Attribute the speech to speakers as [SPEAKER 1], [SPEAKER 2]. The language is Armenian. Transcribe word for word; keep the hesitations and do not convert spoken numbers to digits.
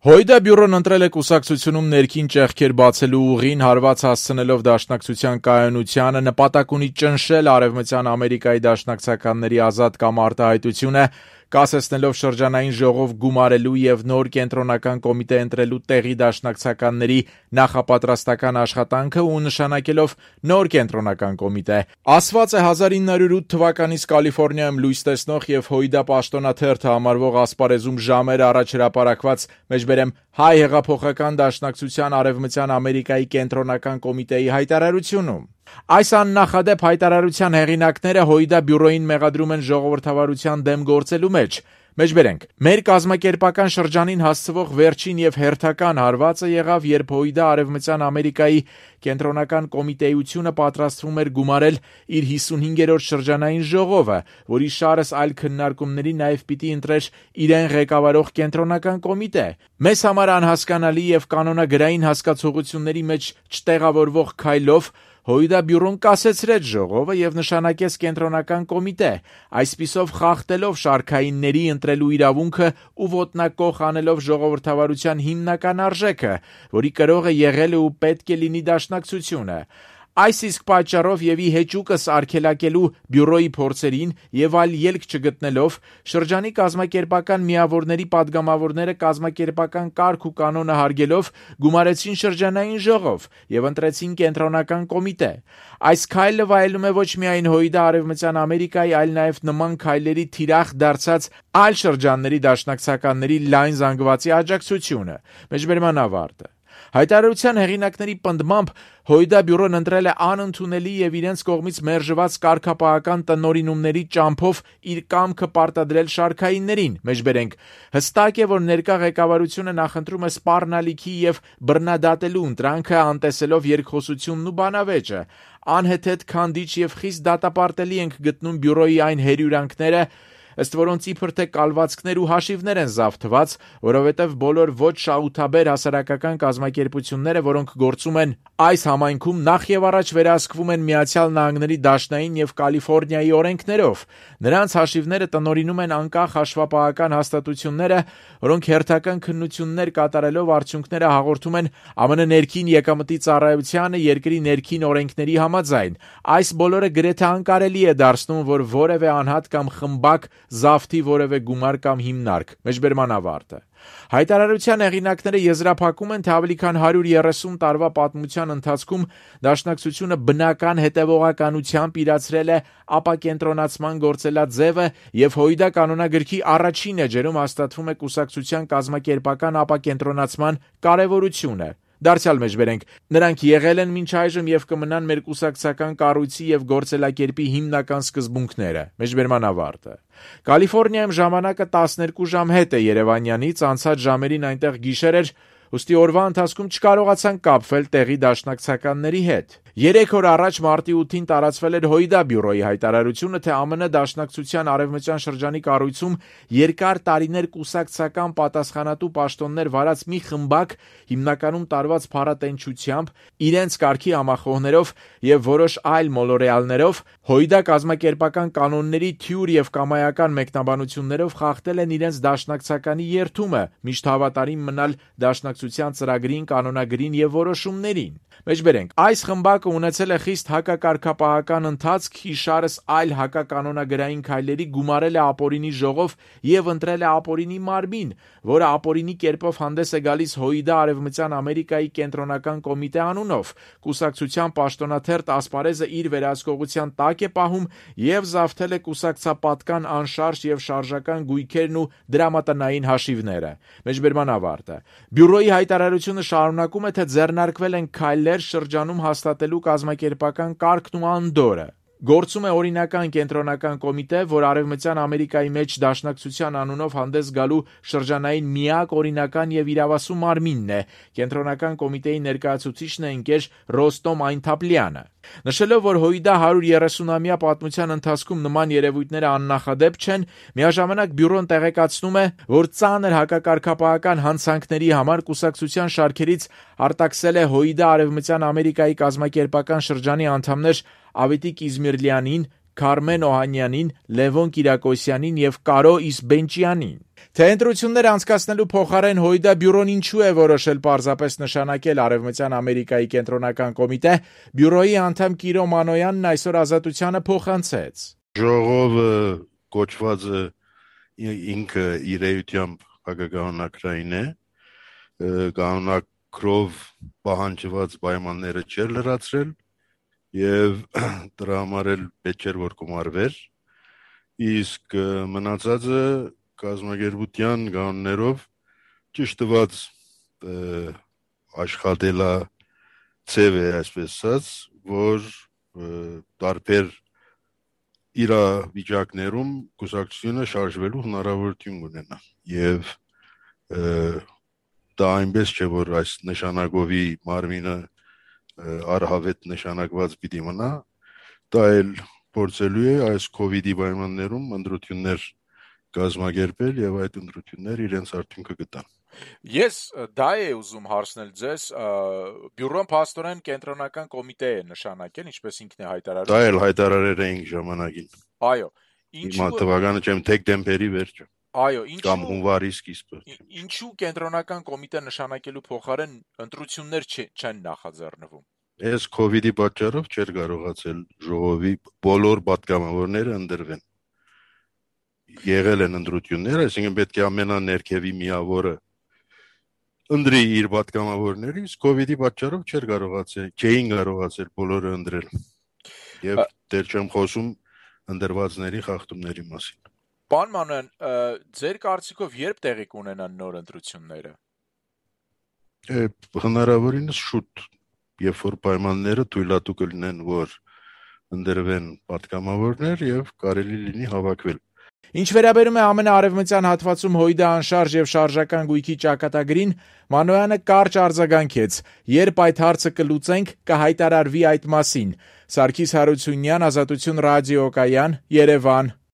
[SPEAKER 1] Հոյդա բյուրոն ընտրել է կուսակցությունում ներքին ճեղքեր բացելու ուղին, հարված հասցնելով դաշնակցության կայունությանը, նպատակ ունի ճնշել Արևմտյան Ամերիկայի դաշնակցականների ազատ կամ արտահայտությունը, կասեցնելով շրջանային ժողով գումարելու եւ նոր կենտրոնական կոմիտե ընտրելու տեղի դաշնակցականների նախապատրաստական աշխատանքը ու նշանակելով նոր կենտրոնական կոմիտե։ Ասված է հազար ինը հարյուր ութ թվականից Կալիֆոռնիայում լույս տեսնող եւ Հոյդա պաշտոնաթերթը համարվող ասպարեզում ժամեր առաջ հրապարակված մեջբերեմ հայ հեղափոխական դաշնակցության Արևմտյան Ամերիկայի կենտրոնական կոմիտեի հայտարարությունում։ Այս աննախադեպ հայտարարության հեղինակները Հոյդա բյուրոին մեղադրում են ժողովրդավարության դեմ գործելու մեջ։ Մեջբերենք, մեր կազմակերպական շրջանին հասցվող վերջին եւ հերթական հարվածը եղավ, երբ Հոյդա Արևմտյան Ամերիկայի կենտրոնական կոմիտեությունը պատրաստվում էր գումարել իր հիսունհինգերորդ շրջանային ժողովը, որի շարս այլ քննարկումների նաեւ պիտի ընտրեր իրեն ղեկավարող կենտրոնական կոմիտե։ Մեզ համար անհասկանալի եւ կանոնագրային հասկացությունների մեջ չտեղավորվող քայլով Հոյդա բյուրոն կասեցրեց ժողովը եւ նշանակեց կենտրոնական կոմիտե, այսպիսով խախտելով շարքայինների ընտրելու իրավունքը ու ոտնակող անելով ժողովրդավարության հիմնական արժեքը, որի կրողը եղել է ու պետք է լինի դաշնակցությունը։ Այս իսկ պատճառով եւ ի հեճուկս արգելակելու բյուրոյի փորձերին եւ այլ ելք չգտնելով շրջանի կազմակերպական միավորների падգամավորները կազմակերպական կարգ ու կանոնը հարգելով գումարեցին շրջանային ժողով եւ ընտրեցին կենտրոնական կոմիտե։ Այս քայլը վայելում է ոչ միայն Հոյդա Արևմտյան Ամերիկայի, այլ նաեւ նման քայլերի թիրախ դարձած այլ շրջանների դաշնակցականների լայն զանգվածի աջակցությունը։ Մեջբերման ավարտը։ Հայտարարության հեղինակների պնդմամբ Հոյդա բյուրոն ընտրել է անընդունելի եւ իրենց կողմից մերժված կարգապահական տնօրինումների ճամփով իր կամքը պարտադրել շարքայիններին։ Մեջբերենք, հստակ է, որ ներկա ղեկավարությունը նախընտրում է սպառնալիքի եւ բռնադատելու ընտրանքը, անտեսելով երկխոսությունն ու բանավեճը։ Անհեթեթ քանդիչ եւ խիստ դատապարտելի ենք գտնում բյուրոյի այն հերյուրանքները, ըստ որոնց իբր թե կալվածքներ ու հաշիվներ են զավթված, որովհետև բոլոր ոչ շահութաբեր հասարակական կազմակերպությունները, որոնք գործում են այս համայնքում, նախ եւ առաջ վերահսկվում են Միացյալ Նահանգների Դաշնային եւ Կալիֆոռնիայի օրենքներով։ Նրանց հաշիվները տնօրինում են անկախ հաշվապահական հաստատությունները, որոնք հերթական քննություններ կատարելով արդյունքները հաղորդում են Ամեն Ինչ ներքին եկամտի ծառայությանը երկրի ներքին օրենքների համաձայն։ Այս բոլորը գրեթե անկարելի է դարձնում, որ որևէ անհատ կամ խմբակ զավթի որևէ գումար կամ հիմնարկ։ Մեջբերման ավարտը։ Հայտարարության հեղինակները եզրափակում են, թե ավելի քան հարյուր երեսուն տարվա պատմության ընթացքում դաշնակցությունը բնական հետևողականությամբ իրացրել է ապակենտրոնացման գործելաձևը եւ Հոյդա կանոնագրքի առաջին էջերում հաստատվում է կուսակցության կազմակերպական ապակենտրոնացման կարեւորությունը։ Դարձյալ մեջբերենք, նրանք եղել են մինչ այժմ եւ կմնան մեր կուսակցական կառույցի եւ գործելակերպի հիմնական սկզբունքները։ Մեջբերման ավարտը։ Կալիֆոռնիայում ժամանակը տասներկու ժամ հետ է Երևանյանից, անցած ժամերին այնտեղ գիշեր էր, ուստի օրվա ընթացքում չկարողացան կապվել տեղի դաշնակցականների հետ։ Երեք օր առաջ մարտի ութին տարածվել էր Հոյդա բյուրոյի հայտարարությունը, թե ԱՄՆ դաշնակցության արևմտյան շրջանի կառույցում երկար տարիներ կուսակցական պատասխանատու պաշտոններ վարած մի խմբակ, հիմնականում տարված փառատենչությամբ, իրենց կարգի համախոհներով եւ որոշ այլ մոլորեալներով Հոյդա կազմակերպական կանոնների թյուր եւ կամայական մեկնաբանություններով խախտել են իրենց դաշնակցականի երթումը, միշտ հավատարիմ մնալ դաշնակցության ծրագրին, կանոնագրին եւ որոշումներին։ Մեջբերենք, այս խմբակը ունեցել է խիստ հակակարգապահական ընթացք, իշարս այլ հակականոնագրային քայլերի գումարել է ապօրինի ժողով եւ ընտրել է ապօրինի մարմին, որը ապօրինի կերպով հանդես է գալիս Հոյդա Արևմտյան Ամերիկայի կենտրոնական կոմիտե անունով։ Կուսակցության պաշտոնաթերթ ասպարեզը իր վերահսկողության տակ է պահում եւ զավթել է կուսակցապատկան անշարժ եւ շարժական գույքերն ու դրամատնային հաշիվները։ Մեջբերման ավարտը։ Բյուրոյի հայտարարությունը շարունակում է, թե ձեռնարկվել են քայլեր շրջանում հաստատելու կազմակերպական կարգն ու անդորը։ Գործում է օրինական կենտրոնական կոմիտե, որ Արևմտյան Ամերիկայի մեջ դաշնակցության անունով հանդես գալու շրջանային միակ օրինական եւ իրավասու մարմինն է։ Կենտրոնական կոմիտեի ներկայացուցիչն է ընկեր Ռոստոմ Այնթապլյանը։ Նշելով, որ Հոյդա հարյուր երեսունամյա պատմության ընթացքում նման երևույթները աննախադեպ չեն, միաժամանակ բյուրոն տեղեկացնում է, որ ծանր հակակարգապահական հանցանքների համար կուսակցության շարքերից արտաքսել է Հոյդա Արևմտյան Ամերիկայի կազմակերպական շրջանի անդամներ Ավետիք Իզմիրլյանին, Քարմեն Օհանյանին, Լևոն Կիրակոսյանին եւ Կարո Իսբենճյանին։ Թե ընտրություններ անցկացնելու փոխարեն Հույդա բյուրոն ինչու է որոշել պարզապես նշանակել Արևմտյան Ամերիկայի կենտրոնական կոմիտե, բյուրոյի անդամ Կիրո Մանոյանն այսօր Ազատությանը փոխանցեց.
[SPEAKER 2] Ժողովը կոչված է ինքը իր էությամբ հակականոնակրային է, կանոնակրով պահանջված պայմանները չէր լրացրել եւ դրա համար էլ պետք էր որ կոմարվեր, իսկ մնացածը կազմակերպության կանոններով ճիշտ տված աշխատելա ցև է, այսպես ասած, որ տարբեր իրավիճակներում կուսակցությունը շարժվելու հնարավորություն ունենա եւ դա այնպես չէ որ այս նշանակովի մարմինը արհավետ նշանակված պիտի մնա, դա էլ փորձելու է այս կովիդի պայմաններում ընտրություններ կազմակերպել եւ այդ ընտրությունները իրենց արդյունքը կտան։
[SPEAKER 1] Ես դա է ուզում հարցնել ձեզ, բյուրոն փաստորեն կենտրոնական կոմիտե է նշանակել, ինչպես ինքն է հայտարարել։
[SPEAKER 2] Դա էլ հայտարարել էինք ժամանակին։
[SPEAKER 1] Այո,
[SPEAKER 2] ինչու թվականը չեմ դեկտեմբերի վերջը։
[SPEAKER 1] Այո, ինչու
[SPEAKER 2] կամ հունվարի սկիզբը։
[SPEAKER 1] Ինչու կենտրոնական կոմիտե նշանակելու փոխարեն ընտրություններ չեն նախաձեռնվում։
[SPEAKER 2] Այս կովիդի պատճառով չէր կարողացել ժողովի բոլոր պատգամավորները ընտրվեն։ Եղել են ընտրություններ, այսինքն պետք է ամենաներքևի միավորը ընտրի իր պատգամավորները, իսկ կովիդի պատճառով չէր կարողացել, չէին կարողացել բոլորը ընտրել։ Եվ դեռ չեմ խոսում ընտրվածների խախտումների մասին։
[SPEAKER 1] Պարոն Մանոյան, ձեր կարծիքով երբ տեղի կունենան նոր ընտրությունները։
[SPEAKER 2] Հնարավորինս շուտ, երբ որ պայմանները թույլատու կլինեն, որ ընտրվեն պատգամավորներ եւ կարելի լինի հավաքվել։
[SPEAKER 1] Ինչ վերաբերում է ամենաարևմտյան հատվածում Հույդա անշարժ եւ շարժական գույքի ճակատագրին, Մանոյանը կարճ արձագանքեց. «Երբ այդ հարցը կլուծենք, կհայտարարվի այդ մասին»։ Սարգիս Հարությունյան, Ազատություն ռադիոկայան, Երևան։